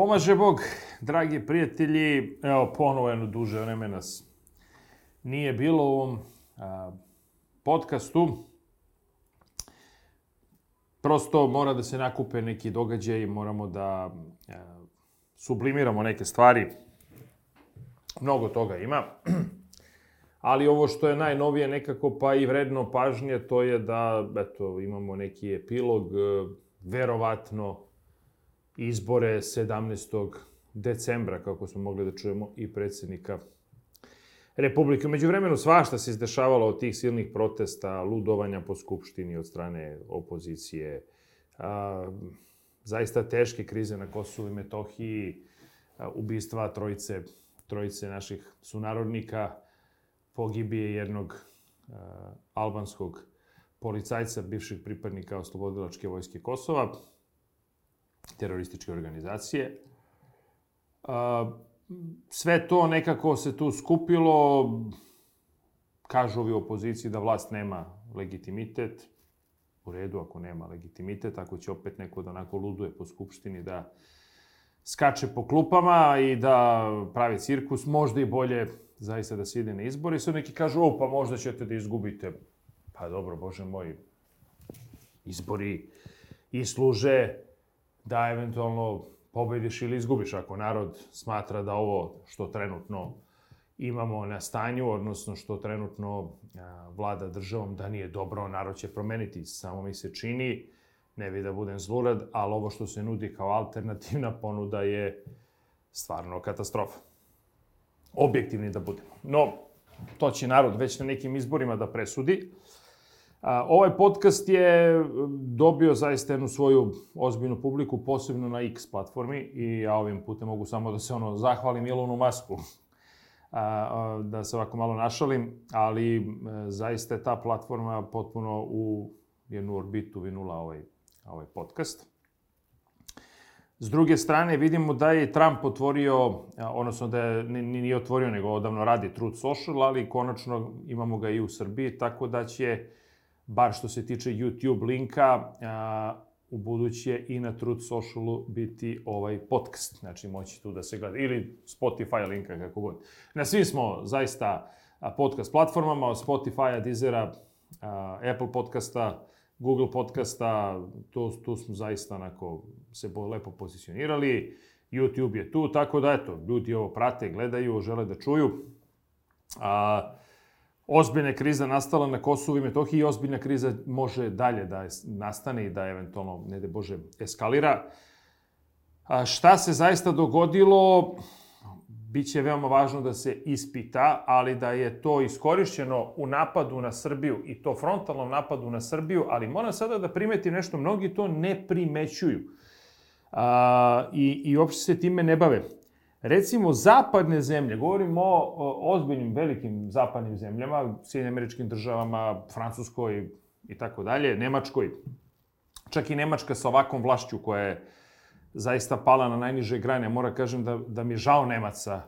pomaže Bog, dragi prijatelji. Evo, ponovo jedno duže vreme nas nije bilo u ovom podcastu. Prosto mora da se nakupe neki događaji, moramo da sublimiramo neke stvari. Mnogo toga ima. Ali ovo što je najnovije nekako pa i vredno pažnje, to je da imamo neki epilog, verovatno izbore 17. decembra, kako smo mogli da čujemo, i predsjednika Republike. Među vremenu svašta se izdešavalo od tih silnih protesta, ludovanja po Skupštini od strane opozicije, zaista teške krize na Kosovu i Metohiji, ubistva trojice naših sunarodnika, pogibije jednog albanskog policajca, bivšeg pripadnika Oslobodilačke vojske Kosova, terorističke organizacije. Sve to nekako se tu skupilo. Kažu ovi opoziciji da vlast nema legitimitet. U redu, ako nema legitimitet, ako će opet neko da onako luduje po Skupštini, da skače po klupama i da pravi cirkus, možda i bolje zaista da se ide na izbore. I sad neki kažu, pa možda ćete da izgubite. Pa dobro, Bože moj, izbori i služe da eventualno pobediš ili izgubiš. Ako narod smatra da ovo što trenutno imamo na stanju, odnosno što trenutno vlada državom, da nije dobro, narod će promeniti. Samo mi se čini, ne bi da budem zlurad, ali ovo što se nudi kao alternativna ponuda je stvarno katastrofa. Objektivni da budemo. No, to će narod već na nekim izborima da presudi. Ovaj podcast je dobio zaista jednu svoju ozbiljnu publiku, posebno na X platformi, i ja ovim putem mogu samo da se zahvalim Elonu Musku, da se ovako malo našalim, ali zaista je ta platforma potpuno u jednu orbitu vinula ovaj podcast. S druge strane, vidimo da je Trump otvorio, odnosno da je nije otvorio, nego odavno radi Truth Social, ali konačno imamo ga i u Srbiji, tako da će, bar što se tiče YouTube linka, u buduće i na Truth Socialu biti ovaj podcast. Znači, moći tu da se gleda. Ili Spotify linka, kako god. Na svim smo zaista podcast platformama, od Spotify-a, Deezera, Apple podcasta, Google podcasta, tu smo zaista onako se lepo pozicionirali. YouTube je tu, tako da ljudi ovo prate, gledaju, žele da čuju. Ozbiljna kriza nastala na Kosovu i Metohiji i ozbiljna kriza može dalje da nastane i da eventualno, ne daj Bože, eskalira. Šta se zaista dogodilo, biće veoma važno da se ispita, ali da je to iskorišćeno u napadu na Srbiju, i to frontalnom napadu na Srbiju, ali moram sada da primetim nešto, mnogi to ne primećuju i uopšte se time ne bave. Recimo, zapadne zemlje, govorimo o ozbiljnim, velikim zapadnim zemljama, Sjedinjenim Američkim Državama, Francuskoj i tako dalje, Nemačkoj. Čak i Nemačka sa ovakvom vlašću koja je zaista pala na najniže grane. Moram kažem da mi je žao Nemaca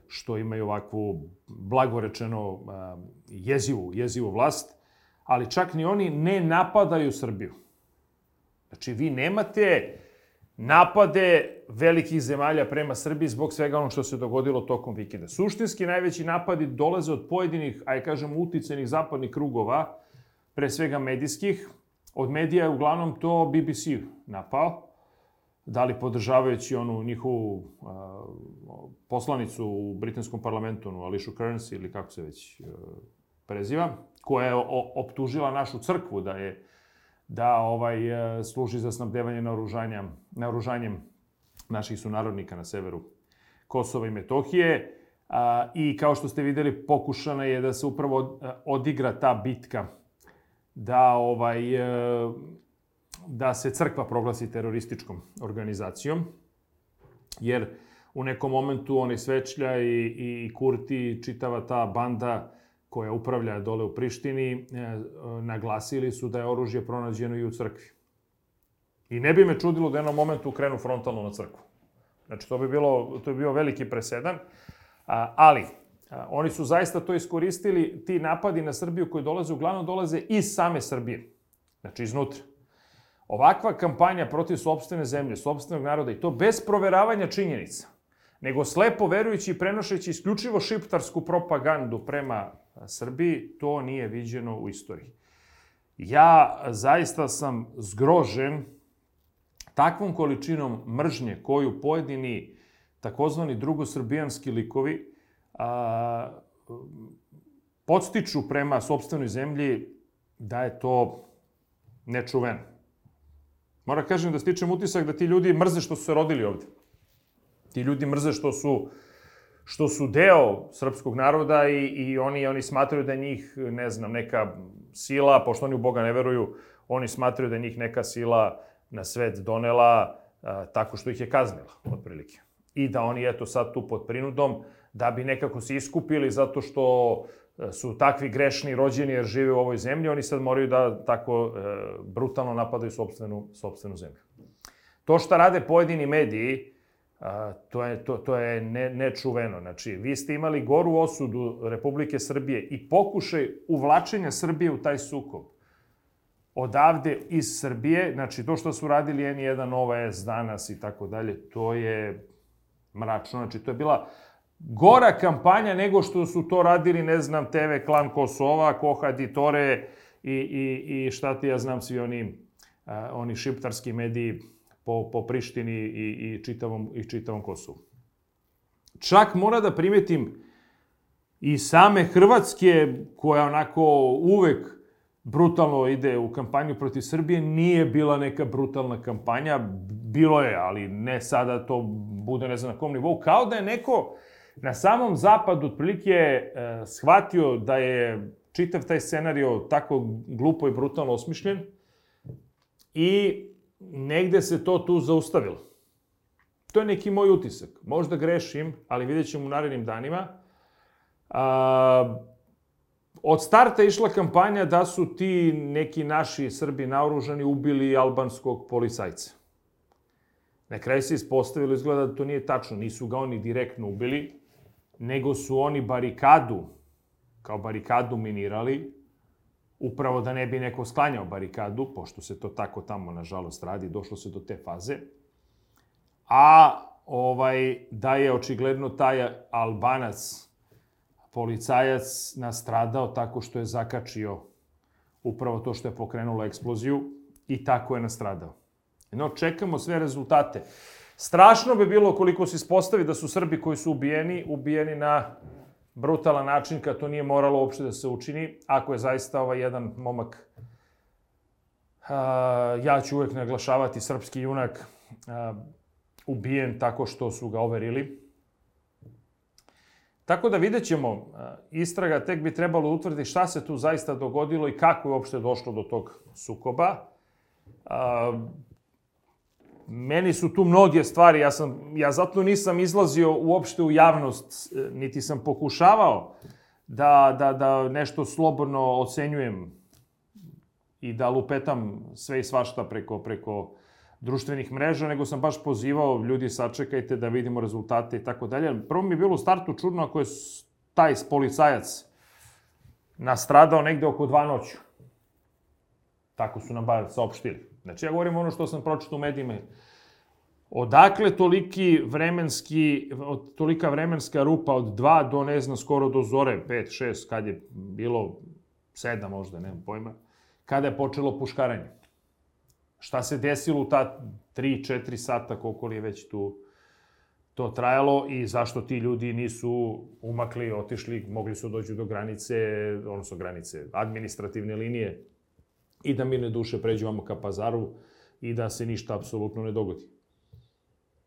što imaju ovakvu, blagorečeno, jezivu vlast, ali čak ni oni ne napadaju Srbiju. Znači, vi nemate napade velikih zemalja prema Srbiji zbog svega ono što se dogodilo tokom vikenda. Suštinski najveći napadi dolaze od pojedinih, uticajnih zapadnih krugova, pre svega medijskih. Od medija je uglavnom to BBC napao, da li podržavajući onu njihovu poslanicu u britanskom parlamentu, Alicia Kearns ili kako se već preziva, koja je optužila našu crkvu da služi za snabdevanje naoružanjem naših sunarodnika na severu Kosova i Metohije. I kao što ste videli, pokušana je da se upravo odigra ta bitka da se crkva proglasi terorističkom organizacijom, jer u nekom momentu onaj Svečlja i Kurti, čitava ta banda koja upravlja dole u Prištini, naglasili su da je oružje pronađeno i u crkvi. I ne bi me čudilo da u jednom momentu krenu frontalno na crkvu. Znači, to bi bio veliki presedan, ali oni su zaista to iskoristili, ti napadi na Srbiju koji uglavnom dolaze iz same Srbije, znači iznutra. ovakva kampanja protiv sopstvene zemlje, sopstvenog naroda, i to bez proveravanja činjenica, nego slepo verujući i prenošeći isključivo šiptarsku propagandu prema Srbiji, to nije viđeno u istoriji. Ja zaista sam zgrožen takvom količinom mržnje koju pojedini takozvani drugosrbijanski likovi podstiču prema sopstvenoj zemlji, da je to nečuveno. Moram kažem da stičem utisak da ti ljudi mrze što su se rodili ovde. Ti ljudi mrze što su deo srpskog naroda i oni smatraju da je njih, ne znam, neka sila, pošto oni u Boga ne veruju, oni smatraju da je njih neka sila na svet donela tako što ih je kaznila, otprilike. I da oni, eto, sad tu pod prinudom, da bi nekako se iskupili zato što su takvi grešni rođeni jer žive u ovoj zemlji, oni sad moraju da tako brutalno napadaju sopstvenu zemlju. To što rade pojedini mediji, to je nečuveno. Znači, vi ste imali goru osudu Republike Srbije i pokušaj uvlačenja Srbije u taj sukob. Odavde iz Srbije, znači to što su radili N1, Nova S, Danas i tako dalje, to je mračno. Znači, to je bila gora kampanja nego što su to radili, ne znam, TV Klan Kosova, Kohad Tore i šta ti ja znam, svi oni šiptarski mediji po Prištini i čitavom Kosovu. Čak mora da primetim i same Hrvatske, koja onako uvek brutalno ide u kampanju protiv Srbije, nije bila neka brutalna kampanja. Bilo je, ali ne sada to bude ne znam na kom nivou. Kao da je neko na samom zapadu otprilike shvatio da je čitav taj scenario tako glupo i brutalno osmišljen i negde se to tu zaustavilo. To je neki moj utisak. Možda grešim, ali vidjet ćemo u narednim danima. Od starta je išla kampanja da su ti neki naši Srbi naoružani ubili albanskog policajca. Na kraju se ispostavilo, izgleda da to nije tačno. Nisu ga oni direktno ubili, nego su oni kao barikadu minirali, upravo da ne bi neko sklanjao barikadu, pošto se to tako tamo, nažalost, radi, došlo se do te faze. A da je očigledno taj Albanac, policajac, nastradao tako što je zakačio upravo to što je pokrenulo eksploziju i tako je nastradao. No, čekamo sve rezultate. Strašno bi bilo koliko se ispostavi da su Srbi koji su ubijeni na brutalan način, kad to nije moralo uopšte da se učini. Ako je zaista jedan momak, ja ću uvek naglašavati srpski junak, ubijen tako što su ga overili. Tako da vidjet ćemo, istraga tek bi trebalo utvrditi šta se tu zaista dogodilo i kako je uopšte došlo do tog sukoba. Meni su tu mnoge stvari, ja zato nisam izlazio uopšte u javnost, niti sam pokušavao da nešto slobodno ocenjujem i da lupetam sve i svašta preko društvenih mreža, nego sam baš pozivao, ljudi, sačekajte da vidimo rezultate i tako dalje. Prvo mi je bilo u startu čudno ako je taj policajac nastradao negde oko 2 noću. Tako su nam bar saopštili. Znači, ja govorim ono što sam pročitao u medijima. Odakle tolika vremenska rupa od 2 do, ne znam, skoro do zore, 5, 6, kad je bilo 7 možda, nemam pojma, kada je počelo puškaranje. Šta se desilo u ta 3-4 sata, koliko li je već tu to trajalo i zašto ti ljudi nisu umakli, otišli, mogli su dođu do granice, odnosno granice, administrativne linije i da mirne duše pređu vamo ka Pazaru i da se ništa apsolutno ne dogodi.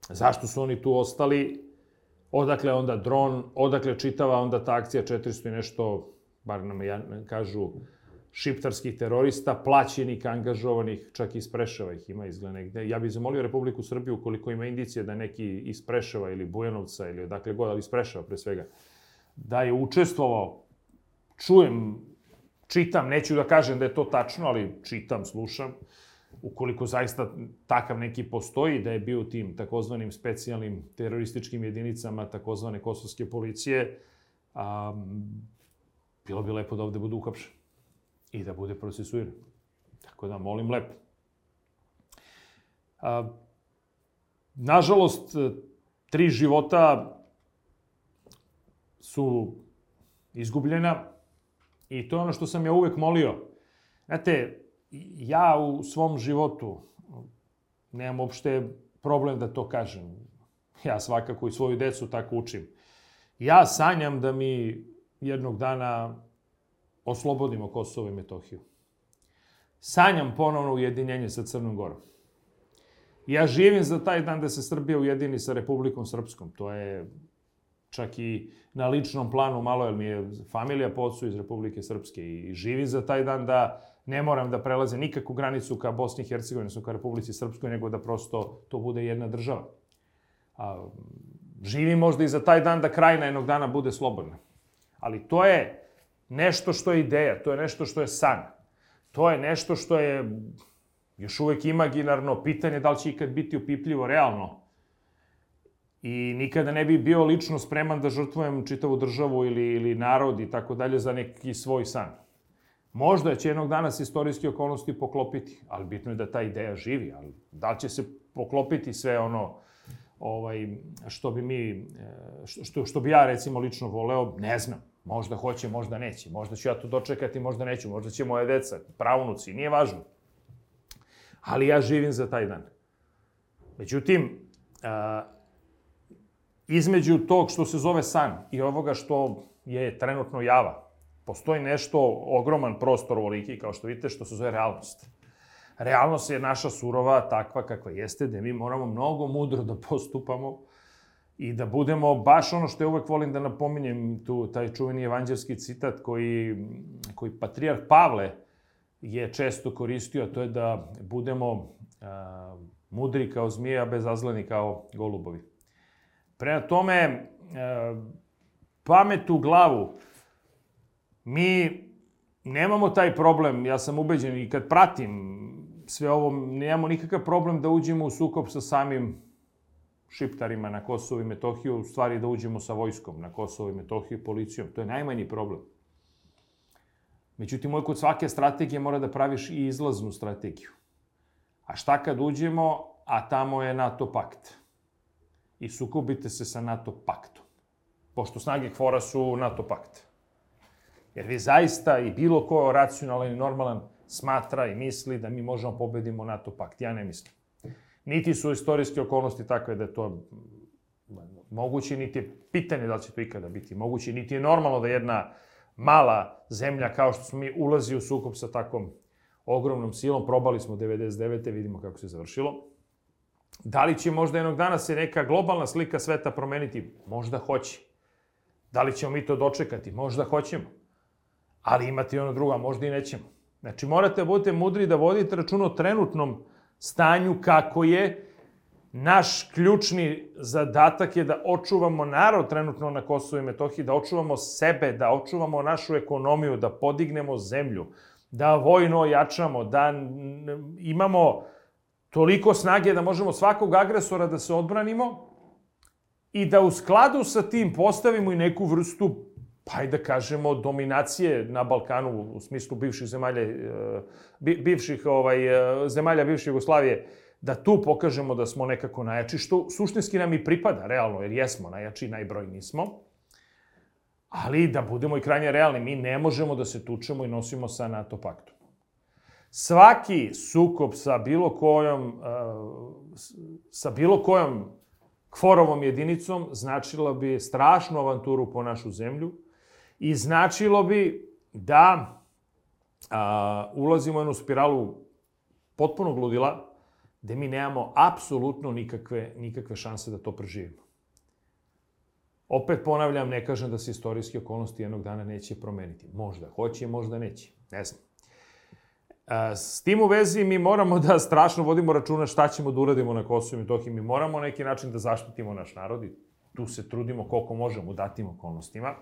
Zašto su oni tu ostali? Odakle onda dron, odakle čitava onda ta akcija 400 i nešto, bar nam kažu, šiptarskih terorista, plaćenih, angažovanih, čak i iz Preševa ih ima izgleda negde. Ja bih zamolio Republiku Srbiju, ukoliko ima indicije da neki iz Preševa ili Bujanovca ili odakle god, ali iz Preševa pre svega, da je učestvovao, čujem, čitam, neću da kažem da je to tačno, ali čitam, slušam, ukoliko zaista takav neki postoji, da je bio u tim takozvanim specijalnim terorističkim jedinicama takozvane kosovske policije, bilo bi lepo da ovde budu uhapšeni i da bude procesuiran. Tako da, molim lepo. Nažalost, 3 života su izgubljena i to je ono što sam ja uvek molio. Znate, ja u svom životu nemam uopšte problem da to kažem. Ja svakako i svoju decu tako učim. Ja sanjam da mi jednog dana oslobodimo Kosovo i Metohiju. Sanjam ponovno ujedinjenje sa Crnom Gorom. Ja živim za taj dan da se Srbija ujedini sa Republikom Srpskom. To je čak i na ličnom planu malo, jer mi je familija po ocu iz Republike Srpske i živim za taj dan da ne moram da prelaze nikakvu granicu ka Bosni i Hercegovini, odnosno ka Republici Srpskoj, nego da prosto to bude jedna država. Živim možda i za taj dan da Krajina jednog dana bude slobodna. Ali to je nešto što je ideja, to je nešto što je san. To je nešto što je još uvek imaginarno pitanje da li će ikad biti upipljivo realno. I nikada ne bi bio lično spreman da žrtvujem čitavu državu ili narod i tako dalje za neki svoj san. Možda će jednog dana se istorijske okolnosti poklopiti, ali bitno je da ta ideja živi. Ali da li će se poklopiti sve ono što bi ja recimo lično voleo, ne znam. Možda hoće, možda neće. Možda ću ja to dočekati, možda neću. Možda će moje deca, pravunuci, nije važno. Ali ja živim za taj dan. Međutim, između tog što se zove san i ovoga što je trenutno java, postoji nešto, ogroman prostor ovoliki, kao što vidite, što se zove realnost. Realnost je naša surova, takva kakva jeste, da mi moramo mnogo mudro da postupamo i da budemo baš ono što ja uvek volim da napominjem, taj čuveni evanđelski citat koji patrijarh Pavle je često koristio, a to je da budemo mudri kao zmije, a bezazleni kao golubovi. Prema tome, pamet u glavu, mi nemamo taj problem, ja sam ubeđen i kad pratim sve ovo, nemamo nikakav problem da uđemo u sukob sa samim šiptarima na Kosovo i Metohiju, u stvari da uđemo sa vojskom na Kosovo i Metohiju i policijom. To je najmanji problem. Međutim, kod svake strategije mora da praviš i izlaznu strategiju. A šta kad uđemo, a tamo je NATO pakt? I sukobite se sa NATO paktom. Pošto snage KFOR-a su NATO pakt. Jer vi zaista i bilo ko racionalan i normalan smatra i misli da mi možemo pobedimo NATO pakt. Ja ne mislim. Niti su istorijske okolnosti takve da je to moguće, niti je pitanje da li će to ikada biti moguće, niti je normalno da jedna mala zemlja kao što smo mi ulazi u sukob sa takvom ogromnom silom. Probali smo 99. vidimo kako se završilo. Da li će možda jednog dana se neka globalna slika sveta promeniti? Možda hoće. Da li ćemo mi to dočekati? Možda hoćemo. Ali imate i ono drugo, a možda i nećemo. Znači, morate da budete mudri da vodite račun o trenutnom stanju kako je. Naš ključni zadatak je da očuvamo narod trenutno na Kosovu i Metohiji, da očuvamo sebe, da očuvamo našu ekonomiju, da podignemo zemlju, da vojno ojačamo, da imamo toliko snage da možemo svakog agresora da se odbranimo i da u skladu sa tim postavimo i neku vrstu, pa i da kažemo, dominacije na Balkanu u smislu bivših zemalja bivše Jugoslavije, da tu pokažemo da smo nekako najjači, što suštinski nam i pripada, realno, jer jesmo najjači, najbrojniji smo. Ali da budemo i krajnje realni, mi ne možemo da se tučemo i nosimo sa NATO paktom. Svaki sukob sa bilo kojom KFOR-ovom jedinicom značilo bi strašnu avanturu po našu zemlju i značilo bi da ulazimo u jednu spiralu potpunog ludila, gde mi nemamo apsolutno nikakve šanse da to preživimo. Opet ponavljam, ne kažem da se istorijske okolnosti jednog dana neće promeniti. Možda hoće, možda neće. Ne znam. S tim u vezi mi moramo da strašno vodimo računa šta ćemo da uradimo na Kosovu i Metohiji. Mi moramo na neki način da zaštitimo naš narod i tu se trudimo koliko možemo u datim okolnostima.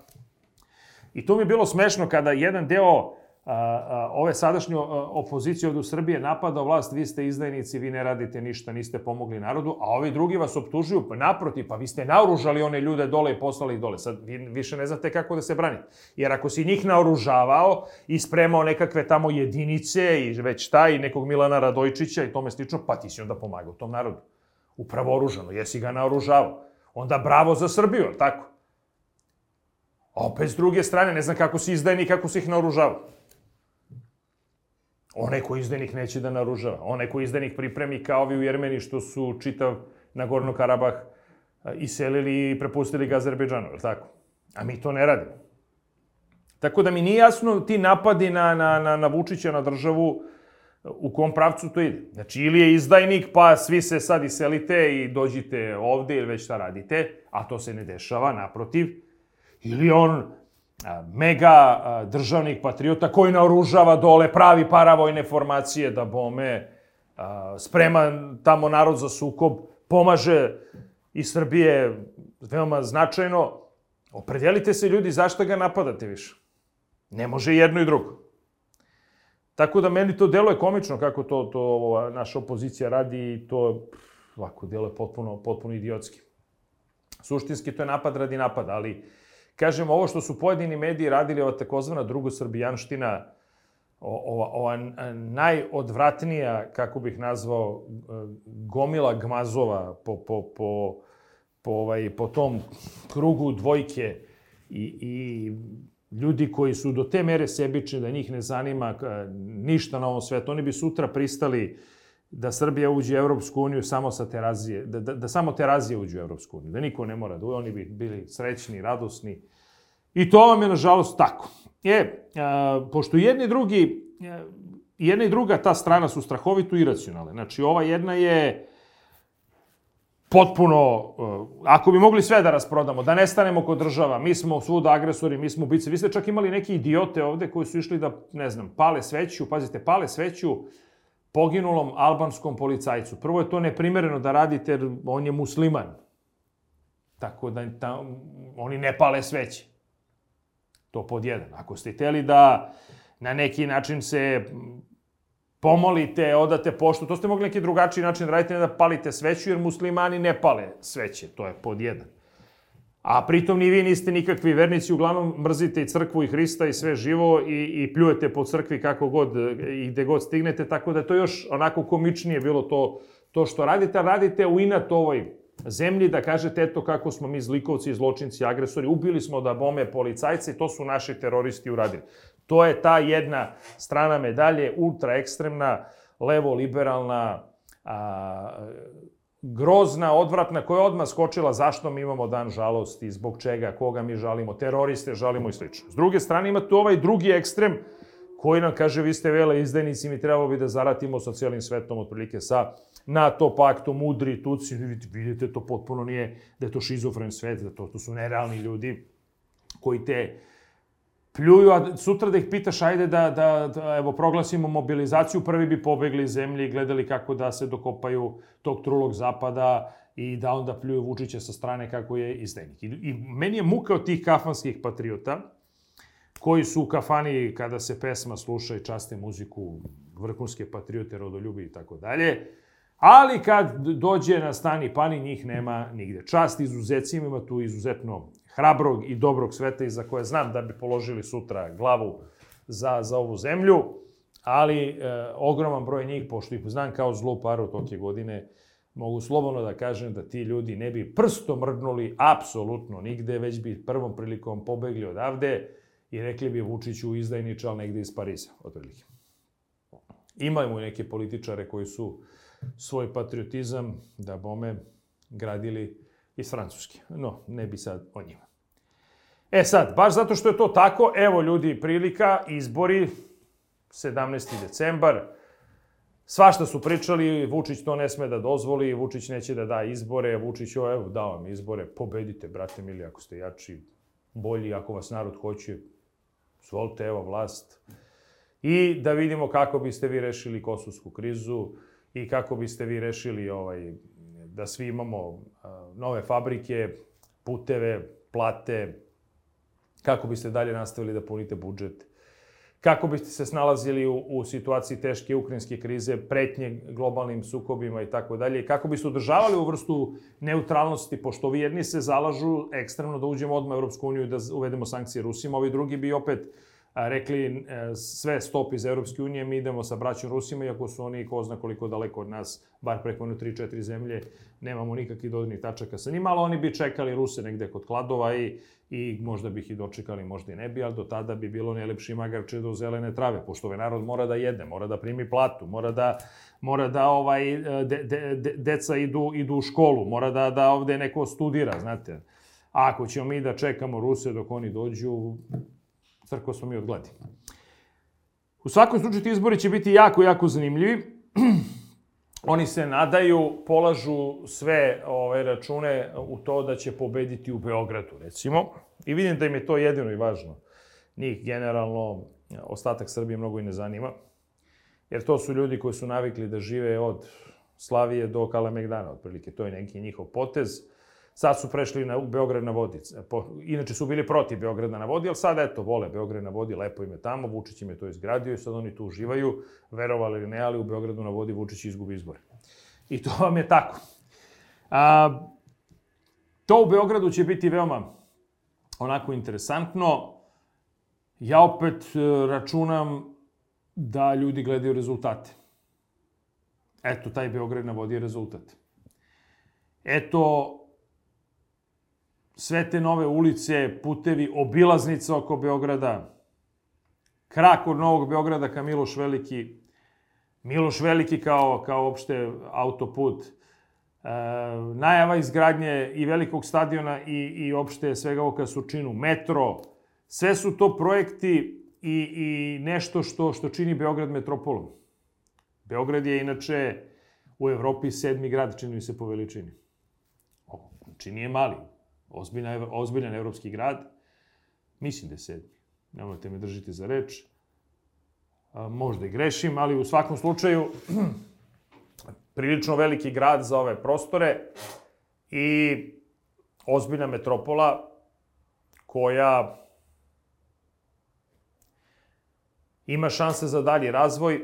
I to mi je bilo smešno kada jedan deo ove sadašnje opozicije ovdje u Srbiji napada vlast, vi ste izdajnici, vi ne radite ništa, niste pomogli narodu, a ovi drugi vas optužuju, pa naprotiv, pa vi ste naoružali one ljude dole i poslali ih dole. Sad vi više ne znate kako da se branite. Jer ako si njih naoružavao i spremao nekakve tamo jedinice i već i nekog Milana Radojčića i tome slično, pa ti si onda pomagao tom narodu. Upravo oružano, jesi ga naoružavao. Onda bravo za Srbiju, tako? A opet s druge strane, ne znam kako si izdajnik, kako si ih naoružavao. Onaj ko izdajnik neće da naoružava. Onaj ko izdajnik pripremi kao ovi u Jermeniji što su čitav Nagorno Karabah iselili i prepustili ga Azerbejdžanu, je li tako? A mi to ne radimo. Tako da mi nije jasno ti napadi na Vučića, na državu, u kom pravcu to ide. Znači, ili je izdajnik, pa svi se sad iselite i dođite ovde ili već šta radite, a to se ne dešava, naprotiv. Ili on mega državnik patriota koji naoružava dole, pravi paravojne formacije da bome, sprema tamo narod za sukob, pomaže iz Srbije veoma značajno. Opredelite se ljudi zašto ga napadate više. Ne može jedno i drugo. Tako da meni to deluje komično kako to naša opozicija radi i to ovako deluje potpuno idiotski. Suštinski to je napad radi napada, ali kažem, ovo što su pojedini mediji radili, ova takozvana drugosrbijanština, ova najodvratnija, kako bih nazvao, gomila gmazova po tom krugu dvojke i ljudi koji su do te mere sebični da njih ne zanima ništa na ovom svetu. Oni bi sutra pristali da Srbija uđe u Evropsku uniju samo sa Terazije, da samo Terazije uđe u Evropsku uniju, da niko ne mora da uđe, oni bi bili srećni, radosni. I to vam je, nažalost, tako. Pošto jedna i druga ta strana su strahovito iracionalne. Znači, ova jedna je potpuno, ako bi mogli sve da rasprodamo, da nestanemo kod država, mi smo svuda agresori, mi smo ubice. Vi ste čak imali neki idiote ovde koji su išli da, ne znam, pale sveću, pazite, pale sveću poginulom albanskom policajcu. Prvo je to neprimereno da radite jer on je musliman. Tako da oni ne pale sveće. To pod jedan. Ako ste hteli da na neki način se pomolite, odate poštu, to ste mogli neki drugačiji način da radite, ne da palite sveću, jer muslimani ne pale sveće. To je pod jedan. A pritom ni vi niste nikakvi vernici, uglavnom mrzite i crkvu i Hrista i sve živo i pljujete po crkvi kako god i gde god stignete, tako da je to još onako komičnije bilo to što radite. Radite u inat ovoj zemlji da kažete eto kako smo mi zlikovci, zločinci, agresori, ubili smo da bome policajce i to su naši teroristi uradili. To je ta jedna strana medalje, ultra ekstremna, levo-liberalna, grozna, odvratna, koja je odmah skočila zašto mi imamo dan žalosti, zbog čega, koga mi žalimo, teroriste žalimo i sl. S druge strane imate ovaj drugi ekstrem koji nam kaže vi ste vele izdajnici, mi trebalo bi da zaratimo sa cijelim svetom, otprilike sa NATO paktom, mudri, tuci, vidite to potpuno nije, da je to šizofren svet, da to su nerealni ljudi koji te pljuju, a sutra da ih pitaš, ajde da evo, proglasimo mobilizaciju, prvi bi pobegli iz zemlje i gledali kako da se dokopaju tog trulog zapada i da onda pljuju Vučića sa strane kako je izdajnik. I meni je muka od tih kafanskih patriota, koji su u kafani kada se pesma sluša i časte muziku, vrhunske patriote, rodoljubi i tako dalje, ali kad dođe na stani pani, njih nema nigde. Čast izuzecima, ima tu izuzetno hrabrog i dobrog sveta i za koje znam da bi položili sutra glavu za ovu zemlju, ali ogroman broj njih, pošto ih znam kao zlu paru toke godine, mogu slobodno da kažem da ti ljudi ne bi prstom mrdnuli apsolutno nigde, već bi prvom prilikom pobegli odavde i rekli bi Vučiću izdajniče, ali negde iz Pariza, otprilike. Imamo i neke političare koji su svoj patriotizam, da bome, gradili iz Francuske. No, ne bi sad o njima. Sad, baš zato što je to tako, evo ljudi, prilika, izbori, 17. decembar, svašta su pričali, Vučić to ne sme da dozvoli, Vučić neće da da izbore, Vučić, evo, dao vam izbore, pobedite, brate mili, ako ste jači, bolji, ako vas narod hoće, zvolite, evo, vlast. I da vidimo kako biste vi rešili kosovsku krizu i kako biste vi rešili da svi imamo nove fabrike, puteve, plate, kako biste dalje nastavili da punite budžet, kako biste se snalazili u situaciji teške ukrajinske krize, pretnje globalnim sukobima i tako dalje, kako biste održavali u vrstu neutralnosti, pošto ovi jedni se zalažu ekstremno da uđemo odmah u Europsku uniju i da uvedemo sankcije Rusima, ovi drugi bi opet rekli sve stop iz Europske unije, mi idemo sa braćom Rusima, iako su oni ko zna koliko daleko od nas, bar preko 3-4 zemlje, nemamo nikakvih dodirnih tačaka sa njima, ali oni bi čekali Ruse negde kod Kladova i možda bi ih i dočekali, možda i ne bi, ali do tada bi bilo najlepši magarče do zelene trave, pošto ovaj narod mora da jede, mora da primi platu, mora da deca idu u školu, mora da ovde neko studira, znate. A ako ćemo mi da čekamo Ruse dok oni dođu, crkvo smo mi od gladi. U svakom slučaju ti izbori će biti jako, jako zanimljivi. Oni se nadaju, polažu sve račune u to da će pobediti u Beogradu, recimo. I vidim da im je to jedino i važno. Njih generalno ostatak Srbije mnogo i ne zanima. Jer to su ljudi koji su navikli da žive od Slavije do Kalemegdana, otprilike. To je neki njihov potez. Sad su prešli u Beograd na vodi. Inače su bili protiv Beograda na vodi, ali sad, eto, vole Beograd na vodi, lepo im je tamo, Vučić im je to izgradio i sad oni tu uživaju, verovali ili ne, ali u Beogradu na vodi Vučić izgubi izbore. I to vam je tako. To u Beogradu će biti veoma onako interesantno. Ja opet računam da ljudi gledaju rezultate. Eto, taj Beograd na vodi je rezultat. Eto, sve te nove ulice, putevi, obilaznica oko Beograda, krak od Novog Beograda ka Miloš Veliki, Miloš Veliki kao opšte autoput, najava izgradnje i velikog stadiona i opšte svega ovo ka Surčinu, metro, sve su to projekti i nešto što čini Beograd metropolom. Beograd je inače u Evropi 7. grad, čini mi se po veličini. Znači nije mali. Ozbiljan evropski grad. Mislim da je 7. Nemojte me držiti za reč. Možda i grešim, ali u svakom slučaju prilično veliki grad za ove prostore i ozbiljna metropola koja ima šanse za dalji razvoj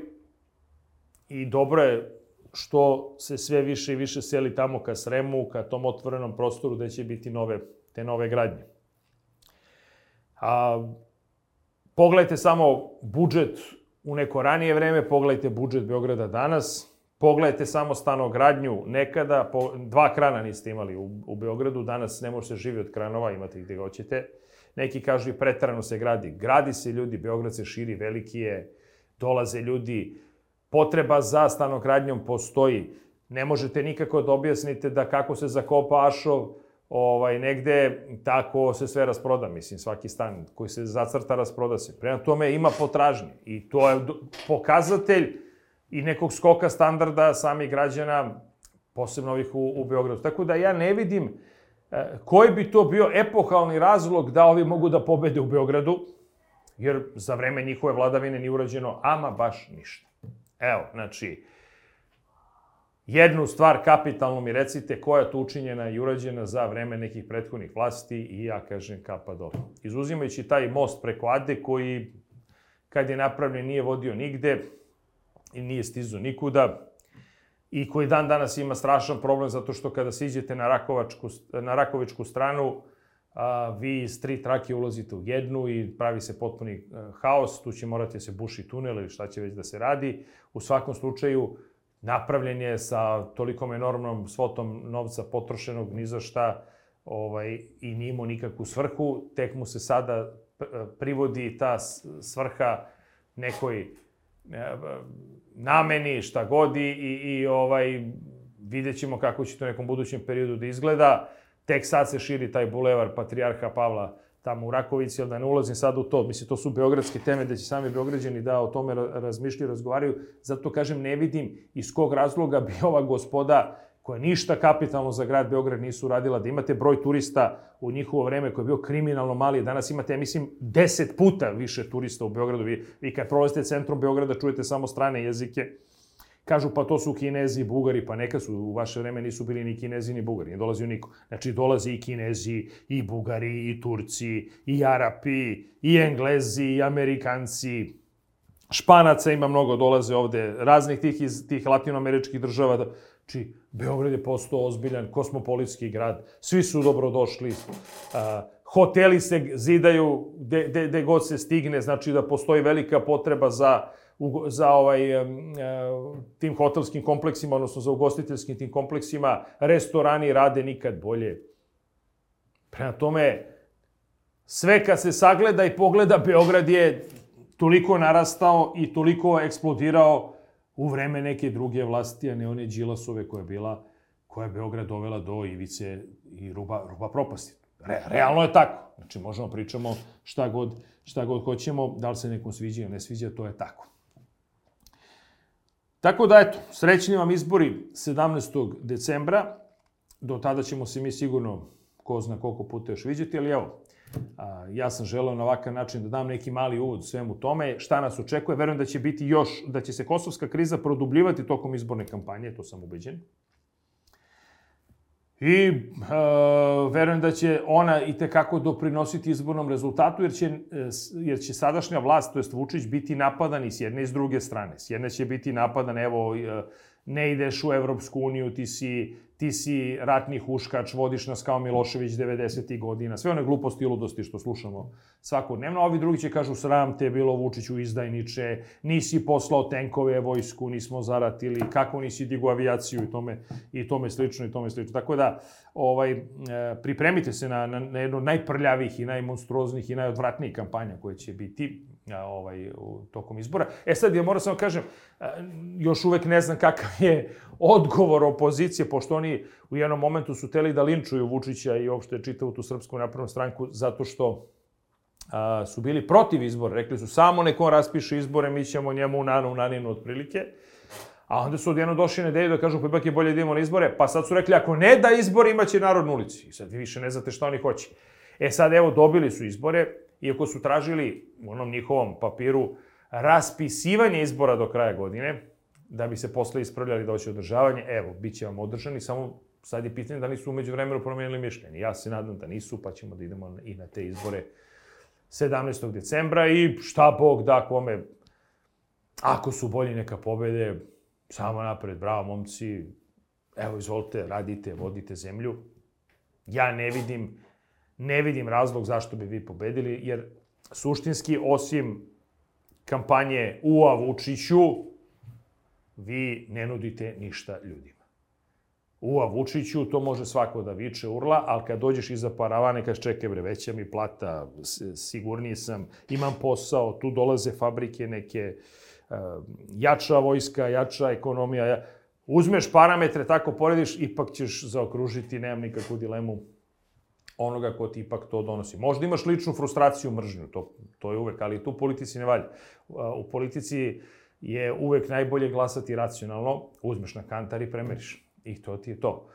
i dobro je što se sve više i više seli tamo ka Sremu, ka tom otvorenom prostoru gde će biti te nove gradnje. Pogledajte samo budžet u neko ranije vreme, pogledajte budžet Beograda danas, pogledajte samo stanogradnju nekada, 2 krana niste imali u Beogradu, danas ne može se živi od kranova, imate ih gde hoćete. Neki kažu i preterano se gradi. Gradi se ljudi, Beograd se širi, veliki je, dolaze ljudi, potreba za stanogradnjom postoji. Ne možete nikako da objasnite da kako se zakopa ašov negde, tako se sve rasproda. Mislim, svaki stan koji se zacrta, rasproda se. Prema tome ima potražnje. I to je pokazatelj i nekog skoka standarda samih građana, posebno ovih u Beogradu. Tako da ja ne vidim koji bi to bio epohalni razlog da ovi mogu da pobede u Beogradu, jer za vreme njihove vladavine nije urađeno ama baš ništa. Evo, znači, jednu stvar kapitalno mi recite koja je tu učinjena i urađena za vreme nekih prethodnih vlasti i ja kažem kapa dole. Izuzimajući taj most preko Ade koji, kad je napravljen, nije vodio nigde i nije stizao nikuda i koji dan danas ima strašan problem zato što kada siđete na Rakovičku stranu, vi iz 3 trake ulazite u jednu i pravi se potpuni haos, tu će morati da se buši tunel ili šta će već da se radi. U svakom slučaju, napravljen je sa tolikom enormnom svotom novca potrošenog ni za šta i nije imao nikakvu svrhu, tek mu se sada privodi ta svrha nekoj nameni, šta god i vidjet ćemo kako će to u nekom budućem periodu da izgleda. Tek sad se širi taj bulevar Patrijarha Pavla tamo u Rakovici, ali da ne ulazim sad u to. Mislim, to su beogradske teme da će sami Beograđani da o tome razmišljaju, razgovaraju. Zato, kažem, ne vidim iz kog razloga bi ova gospoda, koja ništa kapitalno za grad Beograd nisu uradila, da imate broj turista u njihovo vreme koji je bio kriminalno mali. Danas imate, ja mislim, 10 puta više turista u Beogradu. Vi kad prolazite centrom Beograda čujete samo strane jezike. Kažu, pa to su Kinezi i Bugari, pa neka su, u vaše vreme nisu bili ni Kinezi ni Bugari, nije dolazio niko. Znači, dolazi i Kinezi, i Bugari, i Turci, i Arapi, i Englezi, i Amerikanci. Španaca ima mnogo, dolaze ovde raznih tih latinoameričkih država. Znači, Beograd je postao ozbiljan kosmopolitski grad, svi su dobrodošli, hoteli se zidaju gde god se stigne, znači da postoji velika potreba za tim hotelskim kompleksima, odnosno za ugostiteljskim tim kompleksima, restorani rade nikad bolje. Prema tome, sve kad se sagleda i pogleda, Beograd je toliko narastao i toliko eksplodirao u vreme neke druge vlasti, a ne one Đilasove koja je Beograd dovela do ivice i ruba propasti. Realno je tako. Znači, možemo pričamo šta god hoćemo, da li se nekom sviđa ili ne sviđa, to je tako. Tako da, eto, srećni vam izbori 17. decembra. Do tada ćemo se mi sigurno, ko zna koliko puta još viđati, ali evo, ja sam želeo na ovakav način da dam neki mali uvod svemu tome, šta nas očekuje. Verujem da će se kosovska kriza produbljivati tokom izborne kampanje, to sam ubeđen. I verujem da će ona i tekako doprinositi izbornom rezultatu, jer će sadašnja vlast, to jest Vučić, biti napadan i s jedne i s druge strane. S jedne će biti napadan, evo, ne ideš u Evropsku uniju, ti si ratni huškač, vodiš nas kao Milošević 90. godina, sve one gluposti i ludosti što slušamo svakodnevno. A ovi drugi će kažu, sram te bilo Vučiću, izdajniče, nisi poslao tenkove, vojsku, nismo zaratili, kako nisi digu avijaciju i tome slično. Tako da, pripremite se na jednu od najprljavih i najmonstruoznijih i najodvratnijih kampanja koje će biti tokom izbora. Sad, ja moram samo kažem, još uvek ne znam kakav je odgovor opozicije, pošto oni u jednom momentu su hteli da linčuju Vučića i uopšte čitavu tu Srpsku naprednu stranku, zato što su bili protiv izbora. Rekli su, samo nek on raspiše izbore, mi ćemo njemu u naninu otprilike. A onda su odjedno došli na ideju da kažu, pa ipak je bolje da idemo na izbore, pa sad su rekli, ako ne da izbore, imaće narod na ulici. I sad vi više ne znate šta oni hoće. Sad, evo, dobili su izbore, iako su tražili u onom njihovom papiru raspisivanje izbora do kraja godine, da bi se posle ispravljali da hoće održavanje. Evo, bit će vam održani, samo sad je pitanje da nisu umeđu vremenu promenili mišljenje. Ja se nadam da nisu, pa ćemo da idemo i na te izbore 17. decembra i šta Bog da kome, ako su bolji neka pobede, samo napred, bravo momci, evo izvolite, radite, vodite zemlju. Ja ne vidim razlog zašto bi vi pobedili, jer suštinski, osim kampanje Ua Vučiću, vi ne nudite ništa ljudima. Ua Vučiću, to može svako da viče, urla, ali kad dođeš iza paravane, kažeš čekaj bre, veća mi plata, sigurniji sam, imam posao, tu dolaze fabrike neke, jača vojska, jača ekonomija, uzmeš parametre, tako porediš, ipak ćeš zaokružiti, nemam nikakvu dilemu, onoga ko ti ipak to donosi. Možda imaš ličnu frustraciju, mržnju, to je uvek, ali tu u politici ne valja. U politici je uvek najbolje glasati racionalno, uzmeš na kantar i premeriš. I to ti je to.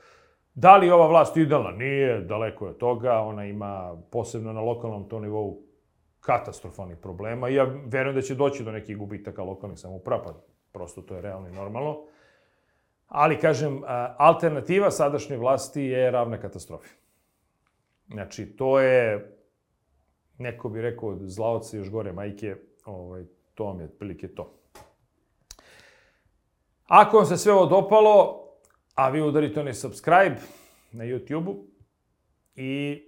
Da li je ova vlast idealna? Nije, daleko je od toga. Ona ima, posebno na lokalnom to nivou, katastrofalnih problema. I ja verujem da će doći do nekih gubitaka lokalnih samouprava, pa prosto to je realno i normalno. Ali, kažem, alternativa sadašnje vlasti je ravna katastrofi. Znači, to je, neko bi rekao, od zlaoca još gore majke, to vam je otprilike to. Ako vam se sve ovo dopalo, a vi udarite onaj subscribe na YouTube-u i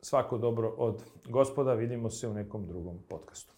svako dobro od gospoda, vidimo se u nekom drugom podcastu.